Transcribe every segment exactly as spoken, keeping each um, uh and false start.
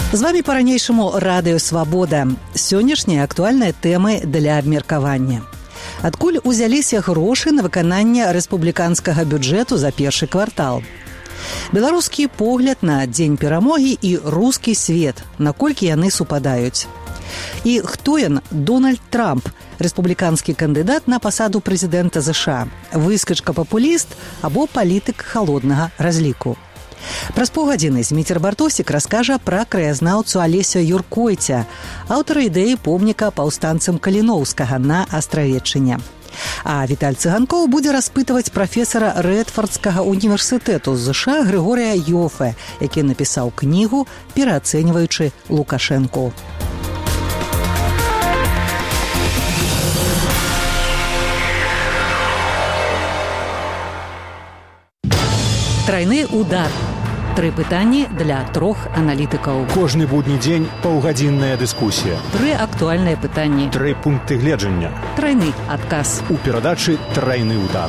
З вами па-ранейшаму Радыё Свабода. Сённяшнія актуальныя тэмы для абмеркавання. Адкуль узяліся грошы на выкананне рэспубліканскага бюджэту за першы квартал? Беларускі погляд на дзень перамогі і рускі свет, наколькі яны супадаюць. І хто ён? Дональд Трамп, рэспубліканскі кандыдат на пасаду прэзідэнта ЗША, выскачка-папуліст або палітык халоднага разліку. Праз паўгадзіны Зміцер Бартосік раскажа пра краязнаўцу Алеся Юркойця, аўтара ідэі помніка паўстанцам Каліноўскага на Астравеччыне. А Віталь Цыганкоў будзе распытваць прафесара Рэдфардскага універсітэту з ЗША Грыгорыя Йофе, які напісаў кнігу «Пераацэньваючы Лукашэнку». Трайны удар. Тры пытанні для трох аналітыкаў. Кожны будні дзень паўгадзінная дыскусія. Тры актуальныя пытанні. Тры пункты гледжання. Трайны адказ. У перадачы «Трайны удар».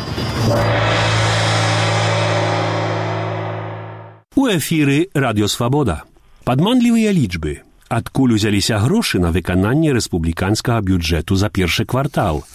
У эфіры Радыё Свабода. Падманлівыя лічбы. Адкуль узяліся грошы на выкананне рэспубліканскага бюджэту за першы квартал?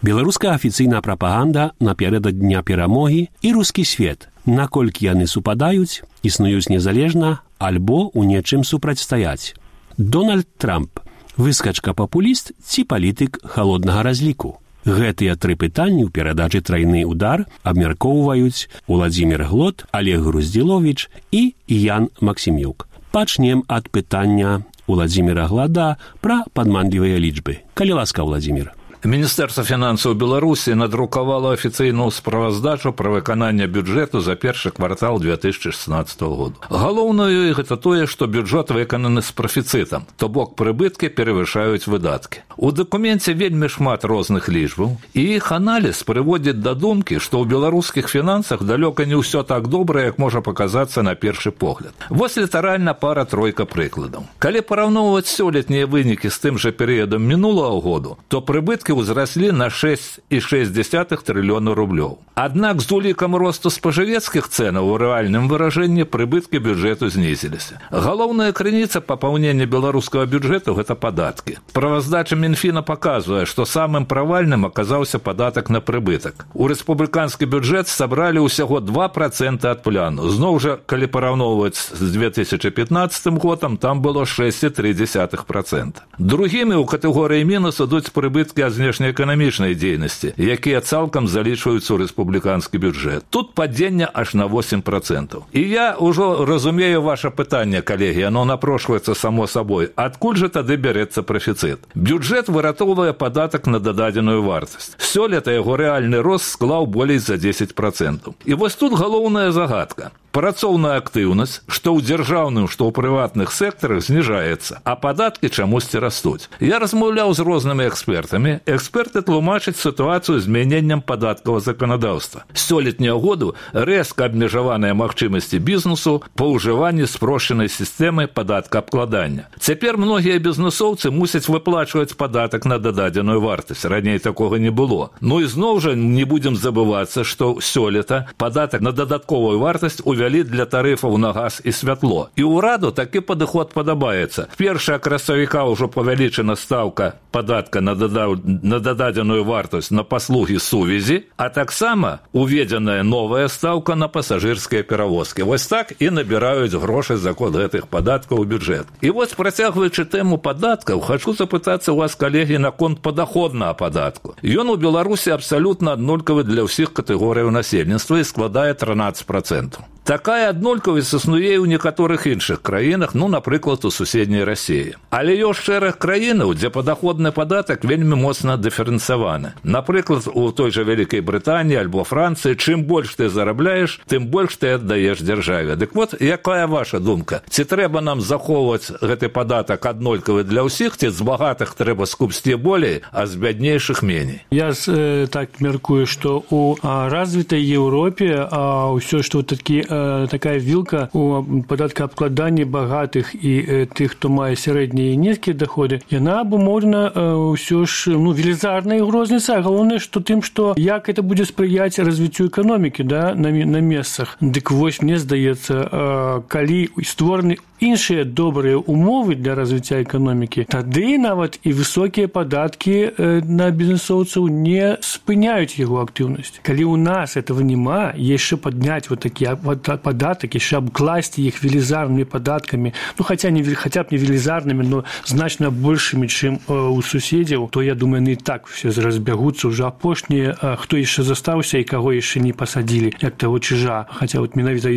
Беларуская афіцыйная прапаганда наперад дня перамогі і рускі свет. Наколькі яны супадаюць, існуюць незалежна альбо ў нечым супрацьстаяць. Дональд Трамп – выскачка-папуліст ці палітык халоднага разліку? Гэтыя тры пытанні ў перадачы «Трайны удар» абмяркоўваюць Уладзімір Глот, Олег Груздзіловіч і Ян Максімюк. Пачнем ад пытання Уладзіміра Глада пра падманлівыя лічбы. Калі ласка, Уладзімір. Міністэрства фінансаў Беларусі надрукавала афіцыйную справаздачу пра выкананне бюджэту за першы квартал две тысячы шестнадцатого года. Галоўнае гэта тое, што бюджэт выкананы з прафіцытам, то бок прыбыткі перавышаюць выдаткі. У дакуменце вельмі шмат розных лічбаў, і іх аналіз прыводзіць да думкі, што ў беларускіх фінансах далёка не ўсё так добра, як можа паказацца на першы погляд. Вось літаральна пара-тройка прыкладаў. Калі параўноўваць сёлетнія вынікі з тым жа перыядам мінулага году, то прыбыткі узраслі на шэсць і шэсць дзесятых трыльёна рублёў. Аднак з улікам росту спажывецкіх цэнаў у рэальным выражэнні прыбыткі бюджэту знізіліся. Галоўная крыніца папаўнення беларускага бюджэту – гэта падаткі. Справаздача Мінфіна паказвае, што самым правальным аказаўся падатак на прыбытак. У рэспубліканскі бюджэт сабралі ўсяго два працэнты ад пляну. Зноў жа, калі параўноўваць з две тысячы пятнаццатым годам, там было шэсць і тры дзесятых працэнта. Другімі ў катэгорыі мінус ідуць прыбыткі ад знешнеэканамічнай дзейнасці, якія цалкам залічваюцца ў рэспубліканскі бюджэт. Тут падзенне аж на восем працэнтаў. І я ўжо разумею ваше пытанне, калегі, оно напрошваецца само сабой. Адкуль жа тады бярэцца прафіцыт? Бюджэт выратоўвае падатак на дададзеную вартасць. Сёлета яго рэальны рост склаў болей за дзесяць працэнтаў. І вось тут галоўная загадка. Працоўная актыўнасць, што ў дзяржаўным, што ў прыватных сектарах зніжаецца, а падаткі чамусьці растуць. Я размаўляў з рознымі экспертамі. Эксперты тлумачаць сітуацыю змяненнем падаткавага заканадаўства. З сёлетняга году рэзка абмежаваныя магчымасці бізнесу па ўжыванні спрошчанай сістэмы падаткаабкладання. Цяпер многія бізнесоўцы мусяць выплачваць падатак на дададзеную вартасць. Раней такога не было. Ну і зноў жа не будзем забывацца, што сёлета падатак на дадатковую вартасць у увялі для тарыфаў на газ і святло. І ўраду такі падыход падабаецца. Першая красавіка ўжо павялічана стаўка падатка на, дада... на дададзеную вартасць на паслугі сувязі, а таксама уведзеная новая стаўка на пасажырскія перавозкі. Вось так і набіраюць грошы за кошт гэтых падаткаў у бюджэт. І вось, працягваючы тэму падаткаў, хачу запытацца у вас, калегі, наконт падаходнага падатку. Ён у Беларусі абсалютна аднолькавы для ўсіх катэгорыяў насельніцтва і складае трынаццаць працэнтаў. Такая аднолькавасць існуе ў некаторых іншых краінах, ну, напрыклад, у суседняй Расіі. Але ёсць шэраг краінаў, дзе падаходны падатак вельмі моцна дыферэнцыяваны. Напрыклад, у той жа Вялікай Брытаніі альбо Францыі, чым больш ты зарабляеш, тым больш ты аддаеш дзяржаве. Дык вот, якая ваша думка? Ці трэба нам захоўваць гэты падатак аднолькавы для ўсіх, ці з багатых трэба скупсці болей, а з бяднейшых меней? Я э, так меркую, што ў развітай Еўропе ўсё, што такі такая вілка у падаткаабкладанні багатых і тых, хто мае сярэднія і нізкія даходы, яна абумоўлена ўсё ж ну, велізарнай розніцай. Галоўнае, што тым, што як это будзе спрыяць развіццю эканомікі, да, на, на месцах. Дык вось, мне здаецца, калі створаны іншыя добрыя умовы для развіцця эканомікі, тады нават і высокія падаткі на бізнесоўцаў не спыняюць яго актыўнасць. Калі ў нас этого няма, яшчэ падняць вот такі падатак, яшчэ абкласці іх велізарнымі падаткамі, ну хаця не хаця б не велізарнымі, но значна большымі, чым у суседзяў, то я думаю, не так все разбягуцца уже апошнія, хто яшчэ застаўся і каго яшчэ не пасадзілі, як таго чыжа. Хаця вот менавіта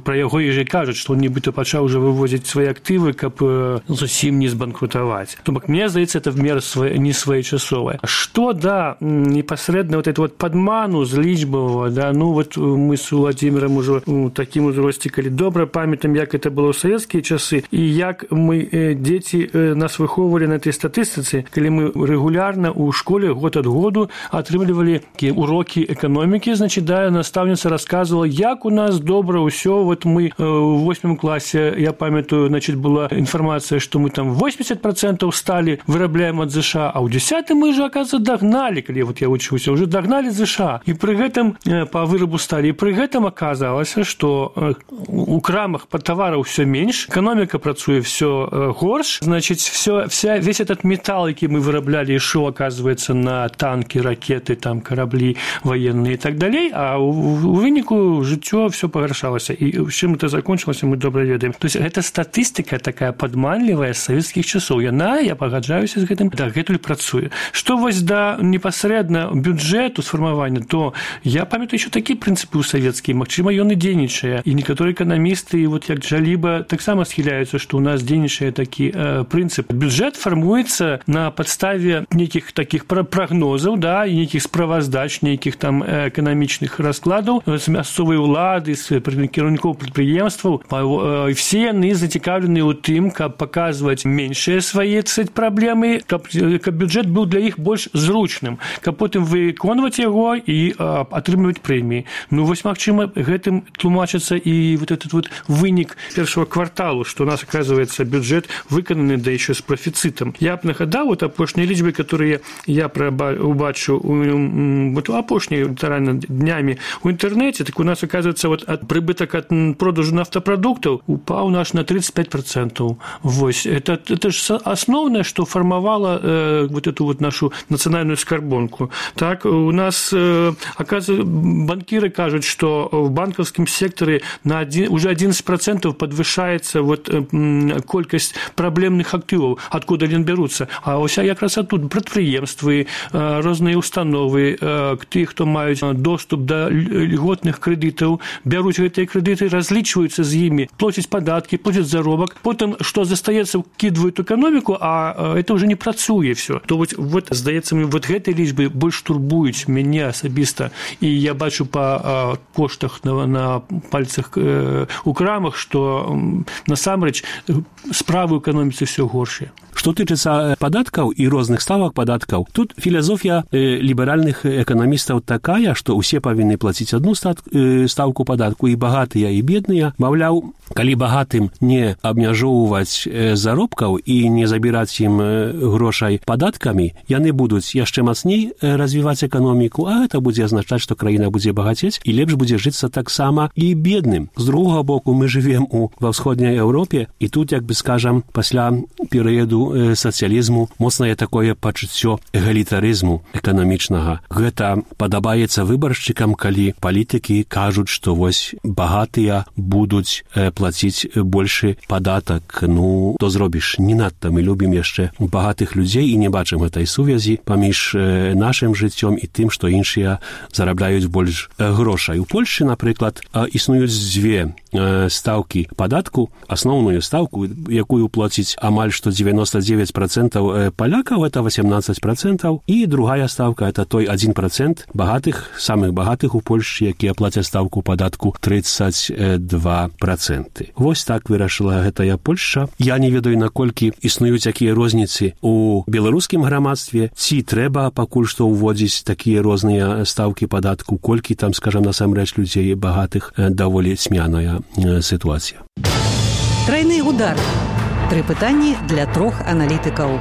пра яго яшчэ кажуць, што он нібыта пачаў уже вывозіць свае актывы, каб зусім не збанкрутаваць. То бок мне здаецца, это в меру не своечасовае. Што да непасрэдна вот это вот падману з лічбавага, да, ну вот мы с Владимиром уже у такім узросце, калі добра памятаем, як это было ў савецкія часы і як мы дзеці нас выхоўвалі на этой статыстыцы, калі мы рэгулярна ў школе год ад году атрымлівалі урокі эканомікі, значит, да, настаўніца расказвала, як у нас добра ўсё. Вот мы ў восьмым класе, я памятаю, значит, была информация, что мы там восемьдесят процентов стали вырабляем от ЗША, а ў дзесятым мы же, оказывается, догнали, калі вот я учуся, уже догнали ЗША. И при гэтым по вырабу стали, и при гэтым оказалось, что у крамах по товару все меньше, экономика працуе все горш, значит, все, вся, весь этот металл, який мы вырабляли, шел, оказывается, на танки, ракеты, там, корабли военные и так далее, а у, у выніку жыццё все пагаршалось. И чым это закончилось, мы добра ведаем. То есть это статистика такая падманлівая з савецкіх часоў. Яна, я пагаджаюся з гэтым, дагэтуль працуе. Што вось да непасрэдна бюджэту сфармавання, то я памятаю еще такія прынцыпы ў савецкія, магчыма, ён і дзейнічае. І некаторыя эканамісты, вот як Джаліба, таксама схіляюцца, што ў нас дзейнічае такі э, прынцып. Бюджэт фармуецца на падставе нейкіх такіх прагнозаў, да, і нейкіх справаздач, нейкіх там эканамічных раскладаў з мясцовай улады, з кіраўнікоў прадпрыемстваў. І все яны зацікаўлены ў тым, каб паказваць меншыя свае праблемы, каб, каб бюджэт быў для іх больш зручным, каб потым выконваць яго і а, атрымліваць прэміі. Ну, вось, магчыма, гэтым тлумачыцца і вот этот вот вынік першого кварталу, што у нас, оказывается, бюджет выкананы, да еще с профицитом. Я б нагадаў, вот апошнія лічбы, которые я убачыў вот апошнія літаральна днямі ў інтэрнэце, так у нас, оказывается, вот от прыбытак ад продажу нафтапрадуктаў упаў наш на тридцать пять процентов. Вось. Это, это же основное, что формовало э, вот эту вот нашу национальную скарбонку. Так, у нас, э, оказывается, банкиры кажут, что в банковском секторе на один, уже одиннадцать процентов подвышается вот, э, колькость проблемных активов, откуда они берутся. А ось якраз оттуда прадпрыемствы, э, розныя установы, э, тых, хто маюць доступ до льготных кредитов, бяруць гэтыя кредиты, разлічваюцца з імі, платяць падаткі, платяць заробак, потым, што застаецца, кідваюць эканоміку, а это уже не працуе все. То вот, вот здаецца мне, вот гэтай лічбы больш турбуюць мяне асабіста, і я бачу па коштах на, на пальцах э, у крамах, што насамрэч справы ў эканоміцы все горшыя. Што тычыцца падаткаў і розных ставак падаткаў, тут філасофія э, ліберальных эканамістаў такая, што ўсе павінны плаціць адну стаўку падатку, і багатыя, і бедныя. Маўляў, калі багатым не абмяжоўваць заробкаў і не забіраць ім грошай падаткамі, яны будуць яшчэ мацней развіваць эканоміку, а гэта будзе азначаць, што краіна будзе багацець і лепш будзе жыцца таксама і бедным. З другога боку, мы жывем у ва ўсходняй Еўропе, і тут, як бы скажам, пасля перыяду сацыялізму моцнае такое пачуццё эгалітарызму эканамічнага. Гэта падабаецца выбаршчыкам, калі палітыкі кажуць, што вось багатыя будуць плаціць большы падатак. Ну, то зробіш. Не надта мы любім яшчэ багатых людзей і не бачым гэтай сувязі паміж нашым жыццём і тым, што іншыя зарабляюць больш грошай. У Польшчы, напрыклад, існуюць дзве стаўкі падатку. Асноўную стаўку, якую плаціць амаль што девяносто девять процентов палякаў, это восемнадцать процентов, і другая стаўка, это той один процент багатых, самых багатых у Польшчы, якія плацяць стаўку падатку тридцать два процента. Вось так вырашыла гэтая Польшча. Я не ведаю, наколькі існуюць якія розніцы у беларускім грамадстве, ці трэба пакуль што ўводзіць такія розныя стаўкі падатку, колькі там, скажам, насамрэч людзей багатых, даволі цьмяная сітуацыя. Тройны удар. Тры пытанні для трох аналітыкаў.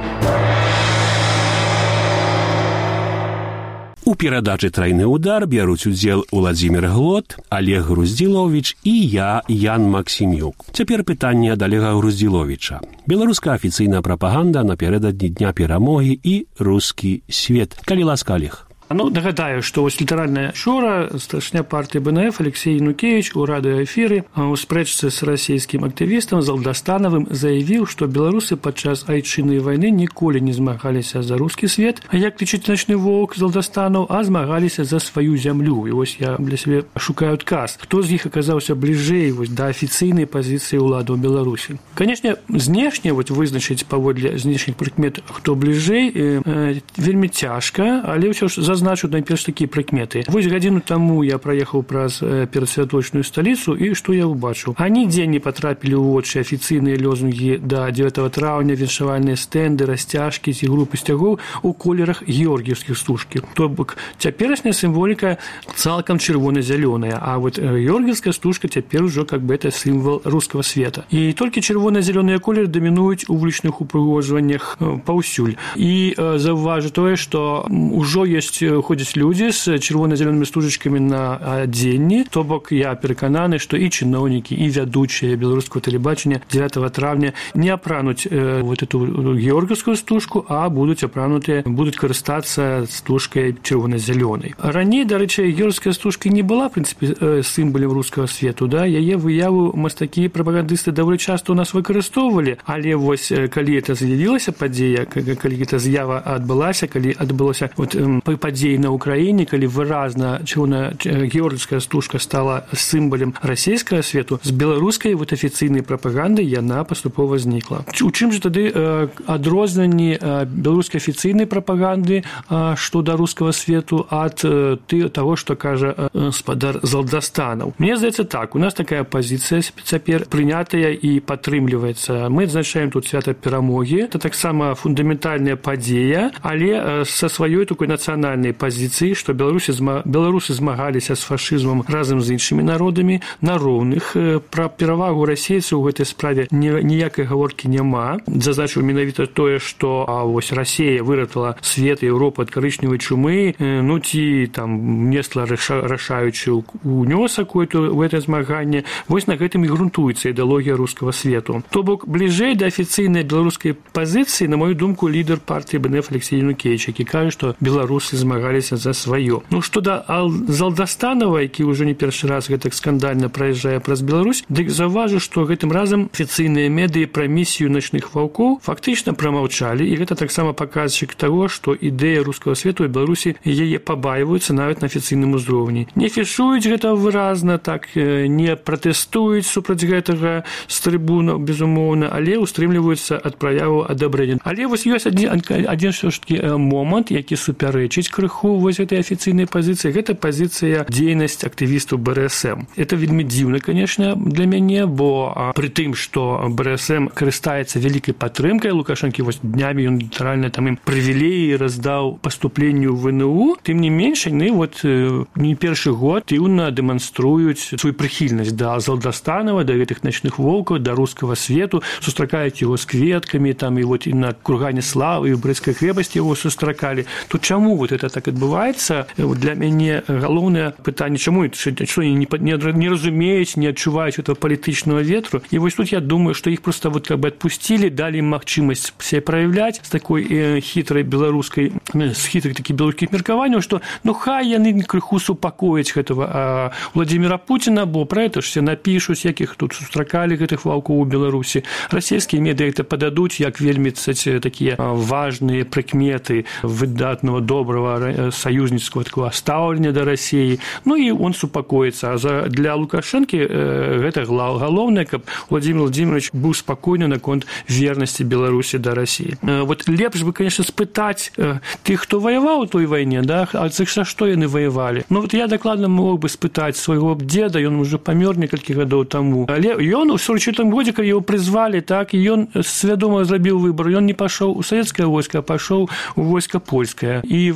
У У перадачы «Трайны ўдар» бяруць удзел Уладзімір Глот, Олег Груздзіловіч і я, Ян Максімюк. Цяпер пытанне ад Олега Груздзіловіча. Беларуская афіцыйная прапаганда напярэдадні Дня перамогі і рускі свет. Калі ласка, Олег. Ну, нагадаю, што вось літаральна учора старшыня партыі БНФ Алексей Янукевіч у радыёэфіры у спрэчцы з расійскім актывістам Залдастанавым заявіў, што беларусы падчас айчыннай вайны ніколі не змагаліся за рускі свет, а як лічыць начны воўк Залдастанаў, а змагаліся за сваю зямлю. І вось я для сябе шукаю адказ. Хто з іх аказаўся бліжэй вось да афіцыйнай пазіцыі ўладаў Беларусі? Канешне, знешне вось вызначыць паводле знешніх прыкмет, хто бліжэй, э, вельмі цяжка, але ўсё ж зазначу найперш такія прыкметы. Вось гадзіну таму я праехаў праз перадсвяточную сталіцу, і што я ўбачыў? Анідзе не патрапілі ў вочы афіцыйныя лозунгі да дзевятага траўня, віншавальныя стэнды, расцяжкі ці групы сцягоў у колерах георгіевскіх стужкі. То бок цяперашняя сімволіка цалкам чырвона-зялёная, а вот георгіевская стужка цяпер ужо как бы это сімвал рускага света. І толькі чырвона-зялёныя колеры дамінуюць у вулічных упрыгожваннях паўсюль. І заўважу тое, што ўжо ёсць ходзяць людзі з чырвона-зялёнымі стужачкамі на адзенні, то бок я перакананы, што і чыноўнікі, і вядучыя беларускага тэлебачання дзевятага траўня не апрануць э, вот эту георгіевскую стужку, а будуць апранутыя, будуць карыстацца стужкай чырвона-зялёнай. Раней, дарэчы, георгіевская стужка не была, в прынцыпе, э, сімвалем рускага свету, да? Яе выяву мастакі і прапагандысты даволі часта ў нас выкарыстоўвалі, але вось калі это з'явілася падзея, калі гэта з'ява адбылася, калі адбылося вот, э, падзеі на Украіне, калі выразна чырвона георгіевская стужка стала сімвалем расійскага свету, з беларускай вот афіцыйнай прапаганды яна паступова знікла. У чым жа тады э, адрозненні э, беларускай афіцыйнай прапаганды э, што да рускага свету ад э, ты, таго, што кажа э, спадар Залдастанаў? Мне здаецца так, у нас такая пазіцыя цяпер прынятая і падтрымліваецца. Мы адзначаем тут свята перамогі, это таксама фундаментальная падзея, але э, са сваёй такой нацыянальнай пазіцыі, што беларусы, беларусы змагаліся з фашызмам разам з іншымі народамі на роўных. Пра перавагу расейцаў у гэтай справе ніякай гаворкі няма. Зазначыў менавіта тое, што а вось Расія выратала свет і Еўропу ад карычневай чумы, ну ці там несла рашаючы унёсак у гэтае змаганне. Вось на гэтым і грунтуецца ідэалогія рускага свету. То бок бліжэй да афіцыйнай беларускай пазіцыі, на мою думку, лідар партыі БНФ Алексей Янукевіч, які кажа, што беларусы змагаліся за сваё. Ну, што да Залдастанава, які ўжо не першы раз гэтак скандальна праязджае праз Беларусь, дык заўважу, што гэтым разам афіцыйныя медыі пра місію начных ваўкоў фактычна прамаўчалі, і гэта таксама паказчык таго, што ідэя рускага свету і Беларусі яе пабаіваюцца нават на афіцыйным узроўні. Не фішуюць гэта выразна, так, не пратэстуюць супраць гэтага з трыбунаў, безумоўна, але ўстрымліваюцца ад праяву адабрэння. Але вось ёсць адзін, адзін ж такі момант, які супярэчыць крыху вось этой афіцыйнай пазіцыі, гэта пазіцыя дзейнасць актывістаў БРСМ. Это вельмі дзіўна, конечно, для мяне, бо пры тым, што БРСМ карыстаецца вялікай падтрымкай Лукашэнкі, вось днямі ён літаральна там ім прывілеі раздаў паступленню ў ВНУ, тым не менш, яны вот не першы год актыўна дэманструюць сваю прыхільнасць да Залдастанава, да гэтых начных воўкаў, да рускага свету, сустракаюць яго з кветкамі, там і вот і на кургане славы, і ў Брэсцкай крэпасці яго сустракалі. Тут чаму вот это так адбываецца? Для мяне галоўнае пытанне, чаму што не, не, не разумеюць, не адчуваюць этого палітычнага ветру. І вось тут я думаю, што іх просто вот как бы адпусцілі, далі магчымасць себе праяўляць з такой э, хітрай беларускай, з хітрых такіх беларускіх меркаванняў, што ну хай яны крыху супакояць гэтага а, Владимира Путина, бо пра гэта ж все напішуць, якіх тут сустракалі гэтых ваўкоў у Беларусі. Расійскія медыа гэта пададуць як вельмі такія важныя прыкметы выдатного, доброго союзнического такого стаўлення да России. Ну и он супакоится. А за, для Лукашенко э, гэта галоўнае, каб Владимир Владимирович быў спакойны наконт верности Беларуси до России. Э, вот лепш бы, конечно, спытаць э, тых, хто воевал у той войне, да, а за што яны воевали. Ну вот я докладно мог бы спытаць свайго деда, ён уже памёр некалькі гадоў таму. Але ён у сорок четвёртым годзе, калі его призвали, так, и он свядома зрабіў выбор. Ён не пашоў у советское войско, а пашоў у войско польское. И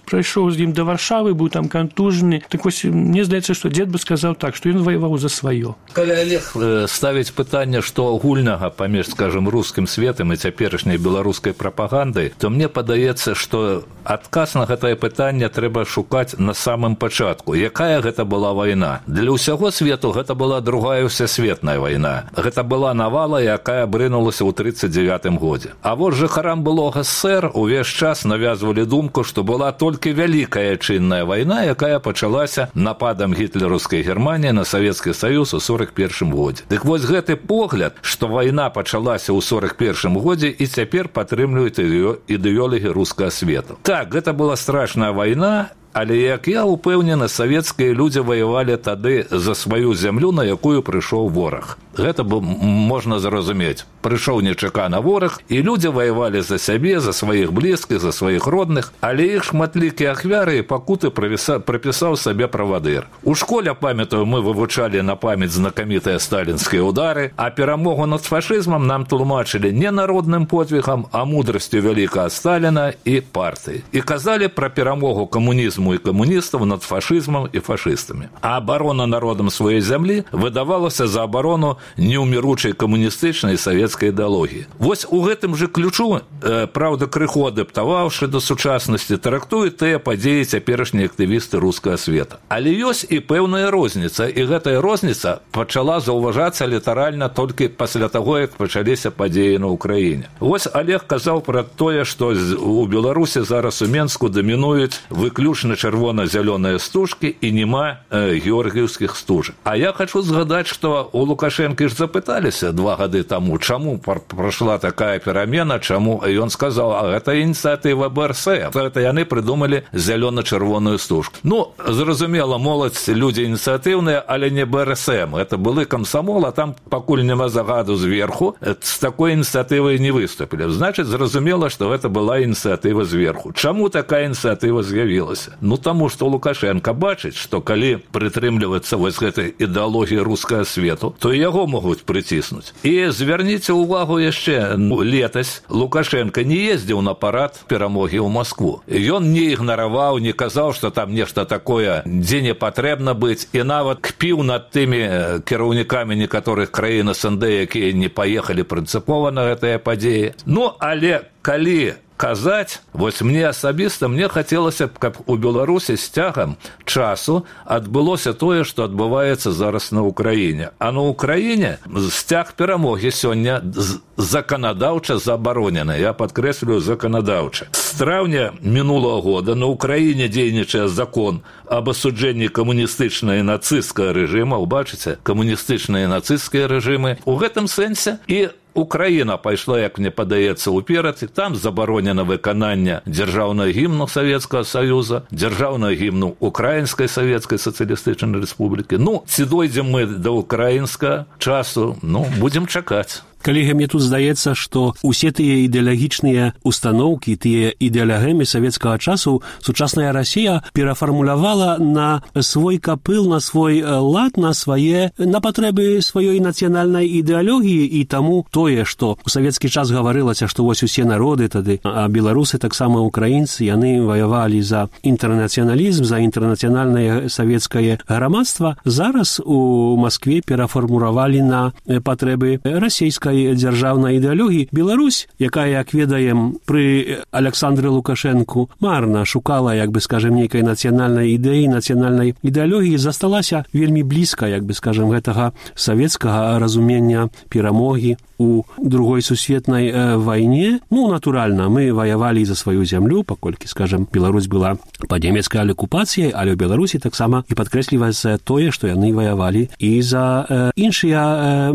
прайшоў з ім да Варшавы, быў там кантужаны. Так вось, мне здаецца, што дзед бы сказаў так, што ён ваяваў за сваё. Калі Олег ставіць пытанне, што агульнага паміж, скажем, рускім светам і цяперашняй беларускай прапагандай, то мне падаецца, што адказ на гэтае пытанне трэба шукаць на самым пачатку. Якая гэта была вайна? Для ўсяго свету гэта была другая ўсесветная вайна. Гэта была навала, якая брынулася ў тридцать девятым годзе. А вот жыхарам былога СССР увесь час навязвалі думку, што была толькі вялікая чынная вайна, якая пачалася нападам гітлераўскай Германіі на Савецкі Саюз у сорок першым годзе. Дык вось гэты погляд, што вайна пачалася ў сорок першым годзе і цяпер падтрымліваюць ідэолагі рускага свету. Так, гэта была страшная вайна, але, як я упэўнены, савецкія людзі ваявалі тады за сваю зямлю, на якую прыйшоў вораг. Гэта б можна зразумець. Прыйшоў нечакана вораг, і людзі ваявалі за сябе, за сваіх блізкіх, за сваіх родных, але іх шматлікія ахвяры і пакуты прапісаў сабе правадыр. У школе, памятаю, мы вывучалі на памяць знакамітыя сталінскія ўдары, а перамогу над фашызмам нам тлумачылі не народным подвігам, а мудрасцю вялікага Сталіна і партыі. І казалі пра перамогу камунізму і камуністаў над фашызмам і фашыстамі. А абарона народам сваёй зямлі выдавалася за абарону неўміручай камуністычнай і савецкай ідэалогіі. Вось у гэтым жа ключу, э, праўда, крыху адаптаваўшы да сучаснасці, трактуюць тыя падзеі цяперашнія актывісты рускага света. Але ёсць і пэўная розніца, і гэтая розніца пачала заўважацца літаральна толькі пасля таго, як пачаліся падзеі на ўкраіне. Вось Олег казаў пра тое, што у Беларусі зараз у Менску дамінуюць выключна чырвона-зялёныя стужкі і няма э, георгіўскіх стужак. А я хочу згадаць, што у Лукашэнкі ж запыталіся два гады таму, чаму прайшла такая перамена, чаму ён сказаў, а гэта ініцыятыва БРСМ. Гэта яны прыдумалі зялёна-чырвоную стужку. Ну, зразумела, моладзь людзі ініцыятыўныя, але не БРСМ. Это былы камсамол, а там пакуль няма загаду зверху, з такой ініцыятывай не выступілі. Значыць, зразумела, што гэта была ініцыятыва зверху. Чаму такая ініцыятыва з'явілася? Ну, таму, што Лукашенко бачыць, што калі прытрымлівацца вось гэтай ідэалогіі рускага свету, то яго могуць прыціснуць. І звярніце ўвагу яшчэ, ну, летась Лукашенко не ездзіў на парад перамогі ў Маскву. Ён не ігнараваў, не казаў, што там нешта такое, дзе не патрэбна быць, і нават кпіў над тымі кіраўнікамі некаторых краін СНД, якія не паехалі прынцыпова на гэтыя падзеі. Ну, але калі казаць, вось мне асабіста, мне хацелася б, каб у Беларусі з цягам часу адбылося тое, што адбываецца зараз на Ўкраіне. А на Ўкраіне сцяг перамогі сёння заканадаўча забаронены. Я падкрэслюю, заканадаўча. З траўня мінулага года на Ўкраіне дзейнічае закон об асуджэнні камуністычнага і нацысцкага рэжыма. Убачыце, камуністычныя і нацысцкія рэжымы. У гэтым сэнсе і Украіна пайшла, як мне падаецца, уперад, і там забаронена выкананне дзяржаўнага гімну Савецкага Саюза, дзяржаўнага гімну Украінскай Савецкай Сацыялістычнай Рэспублікі. Ну, ці дойдзем мы да украінскага часу, ну, будзем чакаць. Калегі, мне тут здаецца, што усе тыя ідэалагічныя установкі, тыя ідэалагемы савецкага часу сучасная Расія перафармулявала на свой капыл, на свой лад, на свае, на патрэбы сваёй нацыянальнай ідэалогіі, і таму тое, што у савецкі час гаварылася, што вось усе народы тады, а беларусы таксама украінцы, яны ваявалі за інтэрнацыяналізм, за інтэрнацыянальнае савецкае грамадства, зараз у Маскве перафармулявалі на патрэбы расійскай дзяржаўнай ідэалогіі. Беларусь, якая, як ведаем, пры Аляксандры Лукашэнку марна шукала, як бы, скажем, нейкай нацыянальнай ідэі, нацыянальнай ідэалогіі, засталася вельмі блізка, як бы, скажем, гэтага савецкага разумення перамогі у другой сусветнай э, вайне. Ну, натуральна, мы ваявалі за сваю зямлю, паколькі, скажем, Беларусь была пад нямецкай акупацыяй, але ў Беларусі таксама і падкрэсліваецца тое, што яны ваявалі і за э, іншыя э,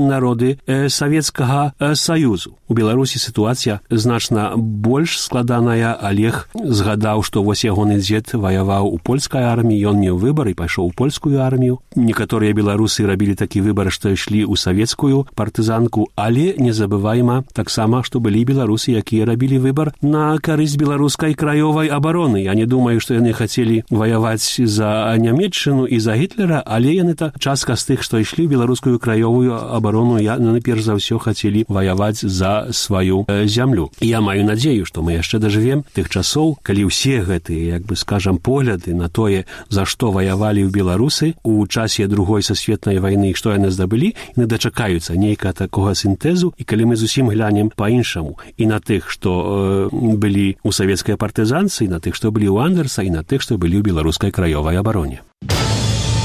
народы э, Савецкага э, Саюзу. У Беларусі сітуацыя значна больш складаная. Олег згадаў, што вось ягоны дзед ваяваў у польскай арміі, ён меў выбар і пайшоў у польскую армію. Некаторыя беларусы рабілі такі выбар, што ішлі ў савецкую партызанку, але не забывайма таксама, што былі беларусы, якія рабілі выбар на карысць беларускай краёвай абароны. Я не думаю, што яны хацелі ваяваць за Нямецчыну і за Гітлера, але яны та частка з тых, што ішлі ў беларускую краёвую абарону, яны перш перш за ўсё хацелі ваяваць за сваю э, зямлю. І я маю надзею, што мы яшчэ дажывем тых часоў, калі ўсе гэтыя, як бы скажам, погляды на тое, за што ваявалі ў беларусы у часе другой сусветнай вайны, што яны здабылі, не дачакаюцца нейкага такога сінтэзу, і калі мы зусім глянем па-іншаму і на тых, што э, былі ў савецкай партызанцы, і на тых, што былі ў Андерса, і на тых, што былі ў беларускай краёвай абароне.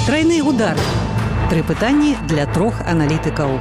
Тройны удар. Тры пытанні для трох аналітыкаў.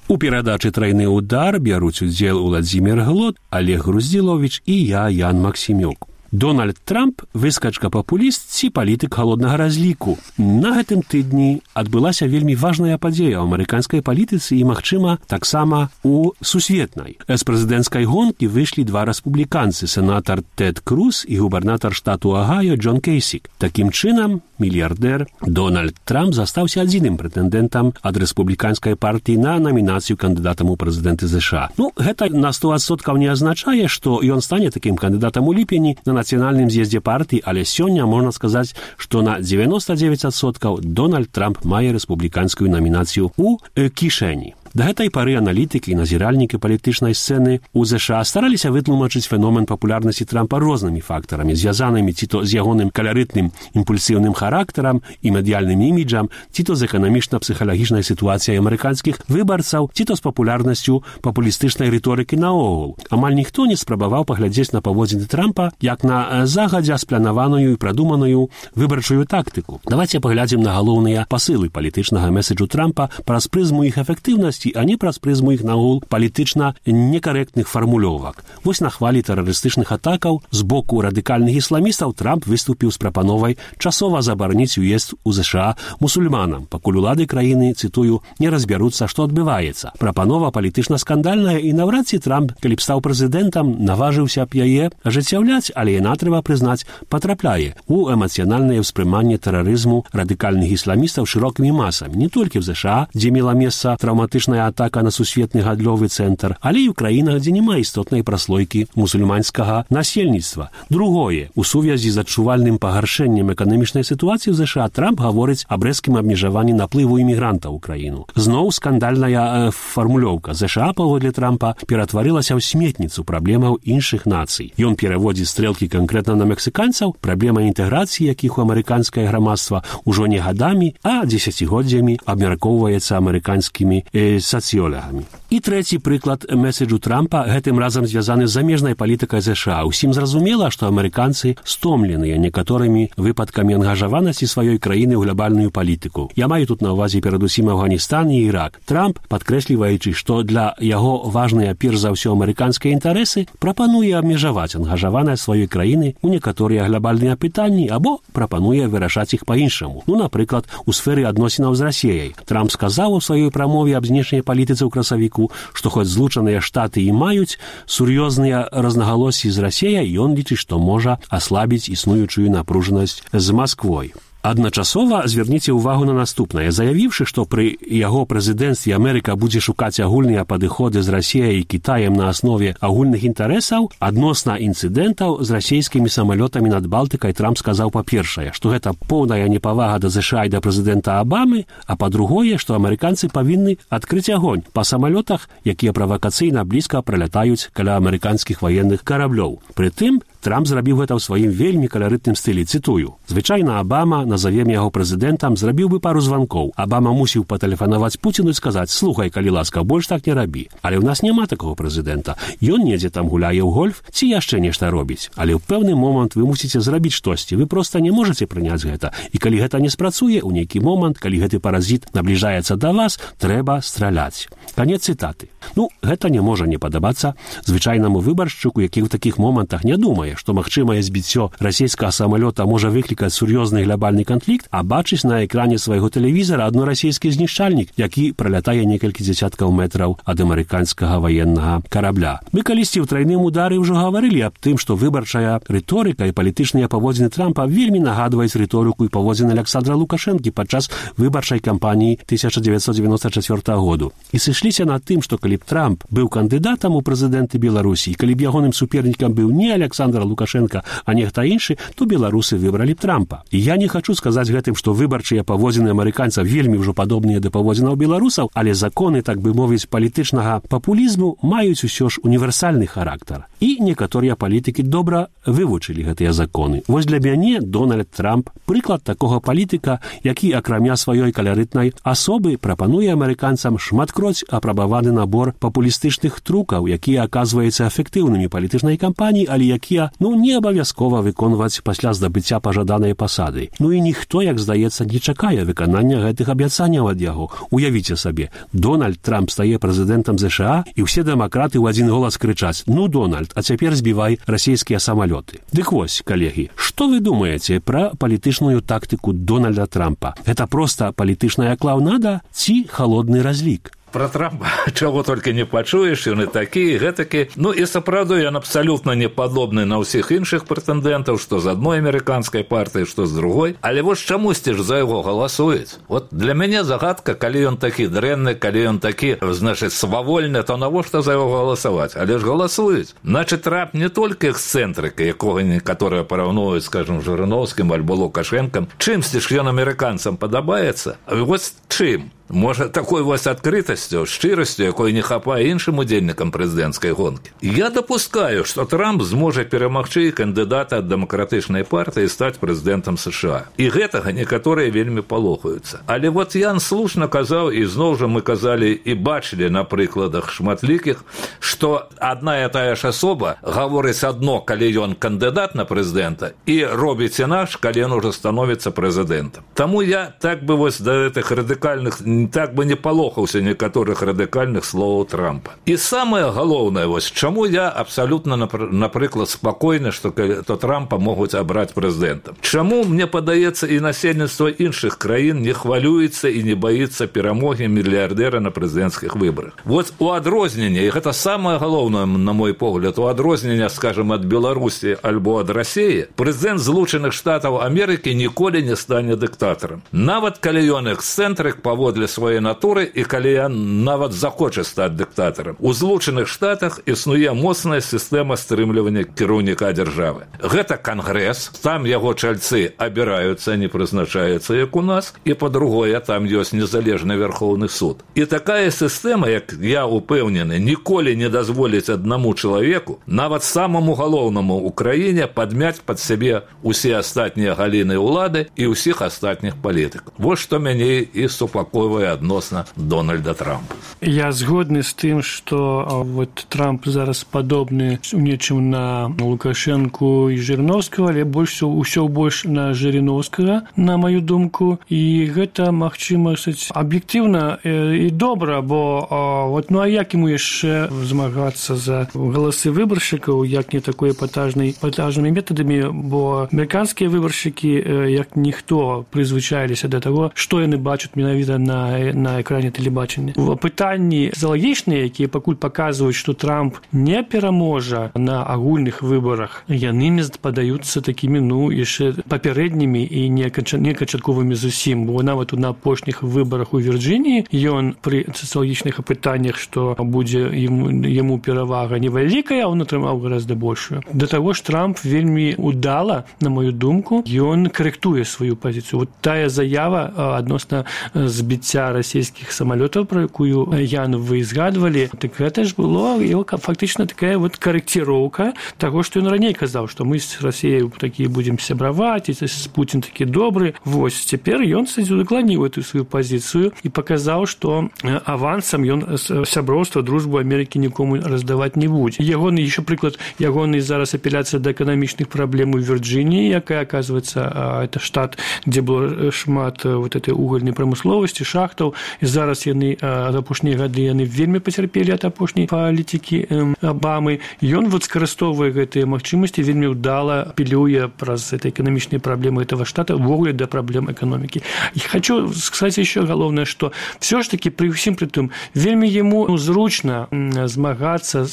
У перадачы «Тройны удар» бяруць удзел Уладзімір Глот, Олег Груздзіловіч і я, Ян Максімюк. Дональд Трамп – выскачка-папуліст ці палітык халоднага разліку. На гэтым тыдні адбылася вельмі важная падзея ў амерыканскай палітыцы і, магчыма, таксама у сусветнай. З прэзідэнцкай гонкі выйшлі два рэспубліканцы – сенатар Тэд Круз і губернатар штату Агайо Джон Кейсік. Такім чынам, мільярдэр Дональд Трамп застаўся адзіным прэтэндэнтам ад рэспубліканскай партыі на намінацыю кандыдатам у прэзідэнты ЗША. Ну, гэта на сто адсоткаў не азначае, што ён стане такім кандыдатам у ліпені на нацыянальным з'ездзе партыі, але сёння можна сказаць, што на дзевяноста дзевяць адсоткаў Дональд Трамп мае рэспубліканскую намінацыю ў э, кішэні. Да гэтай пары аналітыкі і назіральнікі палітычнай сцэны ў ЗША стараліся вытлумачыць феномен папулярнасці Трампа рознымі фактарамі, звязанымі ці то з ягоным каларытным імпульсіўным характарам і медыяльным іміджам, ці то з эканамічна-псіхалагічнай сітуацыяй амерыканскіх выбарцаў, ці то з папулярнасцю папулістычнай рыторыкі наогул. Амаль ніхто не спрабаваў паглядзець на паводзіны Трампа як на загадзя спланаваную і прадуманую выбарчую тактыку. Давайте паглядзім на галоўныя пасылы палітычнага меседжу Трампа праз прызму іх эфектыўнасці, а не праз прызму іх нагул палітычна некарэктных фармулёвак. Вось на хвалі тэрарыстычных атакаў з боку радыкальных ісламістаў Трамп выступіў з прапановай часова забараніць уезд у ЗША мусульманам, пакуль улады краіны, цытую, не разбяруцца, што адбываецца. Прапанова палітычна скандальная, і наўрад ці Трамп, калі б стаў прэзідэнтам, наважыўся б яе ажыццяўляць, але яна, трэба прызнаць, патрапляе у эмацыянальнае ўспрыманне тэрарызму радыкальных ісламістаў шырокімі масамі, не толькі в ЗША, дзе мела месца траўматычная атака на сусветны гандлёвы цэнтр, але і ў краінах, дзе няма істотнай праслойкі мусульманскага насельніцтва. Другое, у сувязі з адчувальным пагаршэннем эканамічнай сітуацыі ў ЗША Трамп гаворыць аб рэзкім абмежаванні наплыву імігрантаў у краіну. Зноў скандальная э, фармулёўка. ЗША, паводле Трампа, ператварылася ў сметніцу праблемаў іншых нацый. Ён пераводзіць стрэлкі канкрэтна на мексіканцаў, праблема інтэграцыі, якіх у амерыканскае грамадства ўжо не гадамі, а дзесяцігоддзямі абмяркоўваецца амерыканскімі э, сацыёлагамі. І трэці прыклад меседжу Трампа гэтым разам звязаны з замежнай палітыкай ЗША. Усім зразумела, што амерыканцы стомленыя некаторымі выпадкамі ангажаванасці сваёй краіны ў глобальную палітыку. Я маю тут на ўвазе перадусім Афганістан і Ірак. Трамп, падкрэсліваючы, што для яго важныя перш за ўсё амерыканскія інтарэсы, прапануе абмежаваць ангажаванасць сваёй краіны ў некаторыя глобальныя пытанні або прапануе вырашаць іх па-іншаму. Ну, напрыклад, у сферы адносінаў з Расіяй. Трамп сказаў у сваёй прамове аб знешняй палітыцы ў красавіку, што хоць злучаныя штаты і маюць сур'ёзныя рознагалоссі з Расіяй, ён лічыць, што можа аслабіць існуючую напружанасць з Масквой. Адначасова звярніце ўвагу на наступнае. Заявіўшы, што пры яго прэзідэнцтве Амерыка будзе шукаць агульныя падыходы з Расіяй і Кітаем на аснове агульных інтарэсаў, адносна інцыдэнтаў з расійскімі самалётамі над Балтыкай Трамп сказаў, па-першае, што гэта поўная непавага да ЗША і да прэзідэнта Абамы, а па-другое, што амерыканцы павінны адкрыць агонь па самалётах, якія правакацыйна блізка пралятаюць каля амерыканскіх ваенных караблёў. Прытым, Трамп зрабіў гэта ў сваім вельмі каларытным стылі, цытую. Звычайна Абама, назовем яго прэзідэнтам, зрабіў бы пару званкоў. Абама мусіў патэлефанаваць Пуціну і сказаць: «Слухай, калі ласка, больш так не рабі». Але ў нас няма такого прэзідэнта. Ён недзе там гуляе ў гольф ці яшчэ нешта робіць. Але ў пэўны момант вы мусіце зрабіць штосьці. Вы проста не можаце прыняць гэта. І калі гэта не спрацуе, ў нейкі момант, калі гэты паразіт набліжаецца да вас, трэба страляць. Канец цытаты. Ну, гэта не можа не падабацца звычайнаму выбаршчыку, які ў такіх момантах не думае, што магчымае збіццё расійскага самалёта можа выклікаць сур'ёзны глобальны канфлікт, а бачыць на экране свайго тэлевізара адно расійскі знішчальнік, які пралятае некалькі дзесяткаў метраў ад амерыканскага ваеннага карабля. Мы калісьці ў трайным удары ўжо гаварылі аб тым, што выбарчая рыторыка і палітычныя паводзіны Трампа вельмі нагадваюць рыторыку і паводзіны Александра Лукашэнкі падчас выбарчай кампаніі тысяча дзевяцьсот дзевяноста чацвёртага году. І сышліся над тым, што калі б Трамп быў кандыдатам у прэзідэнты Беларусі, і калі б ягоным супернікам быў не Александр Лукашенко, а нехта іншы, то беларусы выбралі б Трампа. І я не хачу хочу сказаць гэтым, што выбарчыя паводзіны амерыканцаў вельмі ўжо падобныя да паводзінаў беларусаў, але законы, так бы мовіць, палітычнага папулізму маюць усё ж універсальны характар. І некаторыя палітыкі добра вывучылі гэтыя законы. Вось для мяне Дональд Трамп прыклад такога палітыка, які акрамя сваёй каларытнай асобы прапануе амерыканцам шматкроць апрабаваны набор папулістычных трукаў, якія аказваюцца эфектыўнымі палітычнай кампаніі, але якія, ну, не абавязкова выконваць пасля здабыцця пажаданай пасады. Ну і ніхто, як здаецца, не чакае выканання гэтых абяцанняў ад яго. Уявіце сабе, Дональд Трамп стае прэзідэнтам ЗША, і ўсе дэмакраты ў адзін голас крычаць: «Ну, Дональд, а цяпер збівай расійскія самалёты». Дык вось, калегі, што вы думаеце пра палітычную тактыку Дональда Трампа? Гэта проста палітычная клаўнада ці халодны разлік? Про Трампа чего только не пачуеш, ён і такі, і гэтакі. Ну і сапраўды ён абсалютна не падобны на ўсіх іншых прэтэндэнтаў, што з адной амерыканскай партыі, што з другой. Але вось чамусьці ж за яго галасуюць. Вот для мяне загадка, калі ён такі дрэнны, калі ён такі, значыць, свавольны, то навошта за яго галасаваць? Але ж галасуюць. Значыць, Трамп не толькі эксцэнтрыка, якога некаторыя параўноўваюць, скажем, Жырыноўскім альбо Лукашэнкам. Чымсьці ж ён амерыканцам падабаецца? А вось чым? Можа, такой вось адкрытасцю, шчырасцю, якой не хапае іншым удзельнікам прэзідэнцкай гонкі. Я дапускаю, што Трамп зможа перамагчы кандыдата ад дэмакратычнай партыі і стаць прэзідэнтам США. І гэтага некаторыя вельмі палохаюцца. Але вот Ян слушна казаў, і зноў жа мы казалі і бачылі на прыкладах шматлікіх, што адна і тая ж асоба гаворыць адно, калі ён кандыдат на прэзідэнта, і робіць інакш, калі ён ужо становіцца прэзідэнтам. Таму я так бы вось да гэтых радыкальных так бы не палохаўся некаторых радыкальных словаў Трампа. І самае галоўнае, вось чаму я абсалютна, напрыклад, спакойны, што то Трампа могуць абраць прэзідэнтам. Чаму, мне падаецца, і насельніцтва іншых краін не хвалюецца і не баіцца перамогі мільярдэра на прэзідэнцкіх выбарах. Вот у адрозненне, і гэта самае галоўнае, на мой погляд, у адрозненне, скажем, ад Беларусі альбо ад Расіі, прэзідэнт Злучаных Штатаў Амерыкі ніколі не стане дыктатарам. Нават калі ён эксцэнтрык паводле сваёй натуры і калі ён нават захоча стаць дыктатарам. У Злучаных Штатах існуе моцная сістэма стрымлівання кіраўніка дзяржавы. Гэта кангрэс, там яго чальцы абіраюцца, не прызначаюцца, як у нас, і па-другое, там ёсць незалежны Верхоўны суд. І такая сістэма, як я упэўнены, ніколі не дазволіць аднаму чалавеку, нават самаму галоўнаму ў краіне, падмяць пад сябе усе астатнія галіны ўлады і ўсіх астатніх палітыкаў. Вось што мяне і супакойвае адносна Дональда Трампа. Я згодны з тым, што вот Трамп зараз падобны у нечым на Лукашэнку і Жырыноўскага, але больш усё больш на Жырыноўскага, на маю думку, і гэта, магчыма, аб'ектыўна і добра, бо вот, ну а як яму яшчэ змагацца за галасы выбаршчыкаў, як не такой эпатажнай эпатажнымі метадамі, бо амерыканскія выбаршчыкі, як ніхто, прызвычаіліся да таго, што яны бачаць менавіта на на экране тэлебачання. Пытанні заалагічныя, якія пакуль паказваюць, што Трамп не пераможа на агульных выбарах, яны не падаюцца такімі, ну, яшчэ папярэднімі і неканчатковымі зусім, бо нават на апошніх выбарах у Вірджыніі ён пры сацыялагічных апытаннях, што будзе яму перавага невялікая, а он атрымаў гораздо большую. Да таго ж Трамп вельмі удала, на мою думку, ён карэктуе сваю пазіцыю. Вот тая заява адносна збіцця расійскіх самалётаў, про якую, Ян, вы згадвалі, так гэта ж было фактычна такая вот карэкціроўка таго, што ён раней казаў, што мы з Расіяй такія будзем сябраваць, і Пуцін такі добры. Вось, цяпер ён удакланіў эту сваю пазіцыю і паказаў, што авансам ён сяброўства, дружбу Амерыкі нікому раздаваць не будзе. Ягоны, яшчэ прыклад, ягоны зараз апеляцыя да эканамічных праблем у Вірджыніі, якая, аказваецца, это штат, дзе было шмат вот этой угольнай прамысловасці, шахтаў, і зараз яны ад апошнія гады яны вельмі пацярпелі ад апошняй палітыкі Абамы. Ён вот скарыстоввае гэтыя магчымасці, вельмі ўдала апелюе праз это эканамічныя праблемы этого штата ввогуле да праблем эканомікі. І хочу сказаць яшчэ галоўнае, што все ж таки пры ўсім пры тым вельмі яму зручна змагацца,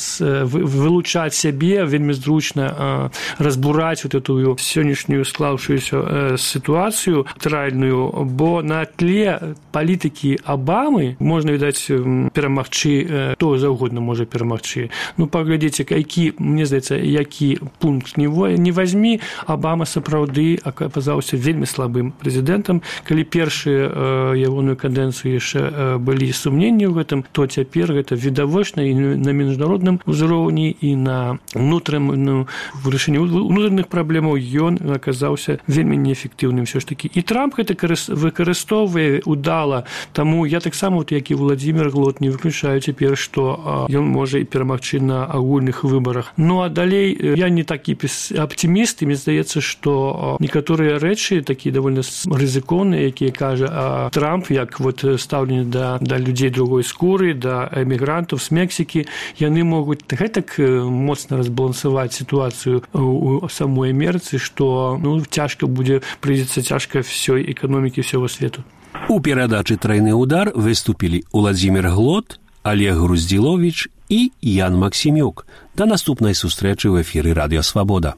вылучаць сябе, вельмі зручна разбураць вот эту сённяшнюю склаўшуюся сітуацыю тральную, бо на тле палітыкі палітыкі Абамы можна, відаць, перамагчы, хто заўгодна можа перамагчы. Ну, паглядзіце, які, мне здаецца, які пункт не вазьмі, Абама сапраўды аказаўся вельмі слабым прэзідэнтам. Калі першую ягоную кадэнцыю яшчэ былі сумненні ў гэтым, то цяпер гэта відавочна і на міжнародным узроўні, і на ўнутраным, ну, вырашэнні ўнутраных праблемаў ён аказаўся вельмі неэфектыўным все ж такі. І Трамп гэта выкарыстоўвае удала. Таму я таксама, вот, як і Владзімір Глот, не выключаю цяпер, што ён можа і перамагчы на агульных выбарах. Ну, а далей я не такі аптыміст, і мне здаецца, што некаторыя рэчы, такія давольна рызыкоўныя, якія кажа Трамп, як вот стаўленне да, да людзей другой скуры, да эмігрантаў з Мексікі, яны могуць гэтак моцна разбалансаваць сітуацыю у самой Амерыцы, што, ну, цяжка будзе, прыйдзецца цяжка всёй эканомікі всего свету. У перадачы «Тройны удар» выступілі Владзімір Глот, Олег Груздзіловіч і Ян Максімюк. Да наступнай сустрэчы ў эфіры Радыё Свабода.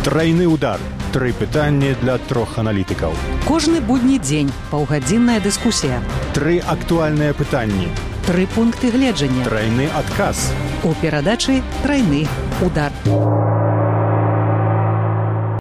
Тройны удар. Тры пытанні для трох аналітыкаў. Кожны будні дзень паўгадзінная дыскусія. Тры актуальныя пытанні. Тры пункты гледжання. Тройны адказ. У перадачы «Тройны удар».